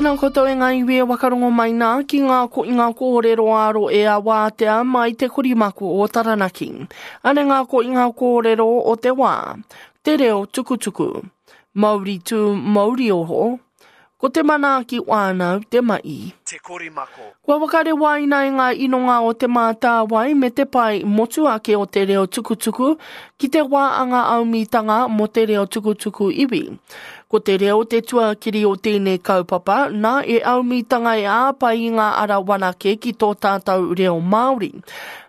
Tēnā koutou e ngā iwi e wakarongo mai nā ki ngā koinga kōrero ā-ro e a Wātea mai te korimako o Taranaki. Ane ngā koinga kōrero o te wā. Te reo tukutuku. Mauri tū, mauri oho. Ko te manaaki whānau te ma'i. Te korimako. Kua whakarewaina e ngā inonga o Te Mātāwai me te pae motuhake o te reo tukutuku ki te wā anga aumitanga mō te reo tukutuku iwi. Ko te reo te tuakiri o tēnei kaupapa, nā e aumitanga e āpai i ngā ara wanake ki tō tātou reo Māori.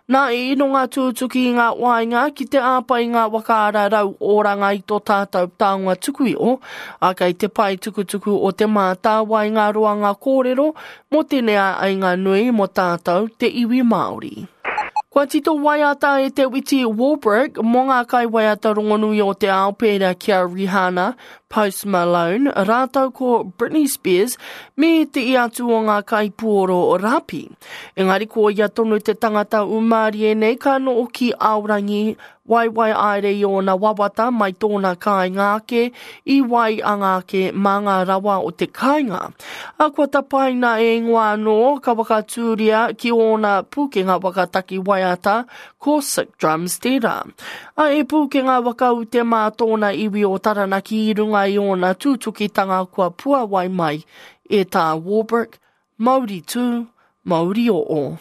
Nā e inonga tūtuki i ngā waenga ki te āpai i ngā whakaara rau oranga i tō tātou taonga tuku iho, ā, kei te pae tukutuku o Te Mātāwai ngā roanga kōrero mō tēnei āinga nui mō tātou te iwi Māori. Kua tito waiata e Te Witi Warbrick mō ngā kaiwaiata rongonui o te ao pērā ki a Rihanna, Post Malone, rātou ko Britney Spears me te i atu o ngā kaipuoro rapi. Engari ko ia tonu te tangata umārie nei ka noho ki Aorangi Waiwai aere i ōna wawata mai tōna kāinga ake, i wai anga ake mā ngā rawa o te kāinga. A kua tapaina e ingoa anō ka whakatūria ki ōna pūkenga whakataki waiata ko Sick Drums tērā. A e pūkenga whakaute mā tōna iwi o Taranaki i runga i ōna tūtukitanga kua puawai mai e tā Warbrick, Mauri tū, mauri oo.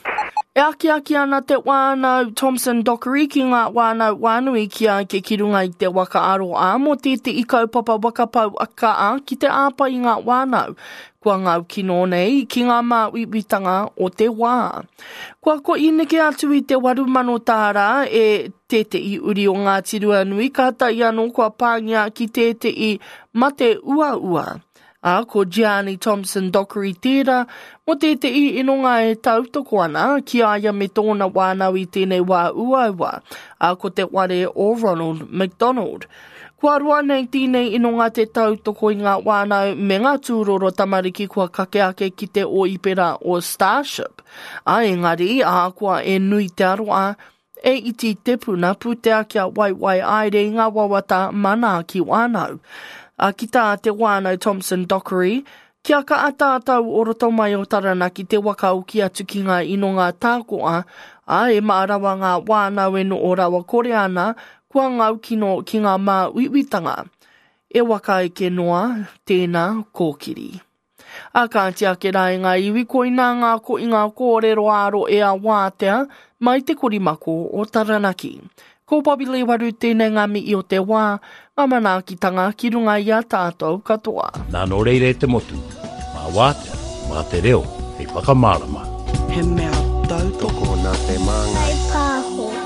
E akiaki ana te whānau Thompson Dockery ki ngā whānau whānui ki a eke ki runga i te waka aroā mō tētehi kaupapa waka pau kaa ki te āpai i ngā whānau kua ngau kino nei ki ngā māuiuitanga o te wā. Kua koi neke atu i te 8,000 tāra e tētehi uri o Ngāti Ruanui kātahi anō kua pāngia ki tētehi mate uaua. Ā, ko Gianni Thompson Dockery tērā, mō tētehi inonga e tautoko ana ki a ia me tōna whānau i tēnei wā uaua, ā, ko te ware o Ronald McDonald. Kua roa nei tēnei inonga te tautoko i ngā whānau me ngā tūroro tamariki kua kake ake ki te ōipera o Starship, ā, engari, ahakoa e nui te aroā, E iti te puna pūtea kia waiwai aere i ngā wawata manaaki whānau. A ki tā te whānau Thompson Dockery, kia kaha tātou o roto mai o Taranaki te waka oki atu ki ngā inonga tākoa, ā, e mā rawa ngā whānau e noho rawa kore ana, kua ngaukino ki ngā māuiuitanga. E waka eke noa, tēnā kōkiri. A kāti ake rā e ngā iwi koinā ngā koinga kōrero ā-rohe a Wātea mai te korimako o Taranaki. Ko Bobby Lee Waru tēnei ngā mihi o te wā, ngā manaakitanga ki runga i a tātou katoa. Nā nō reira e te motu, mā Wātea, mā te reo hei whakamārama. He mea tautoko Tokona te māngai. Kaipāho.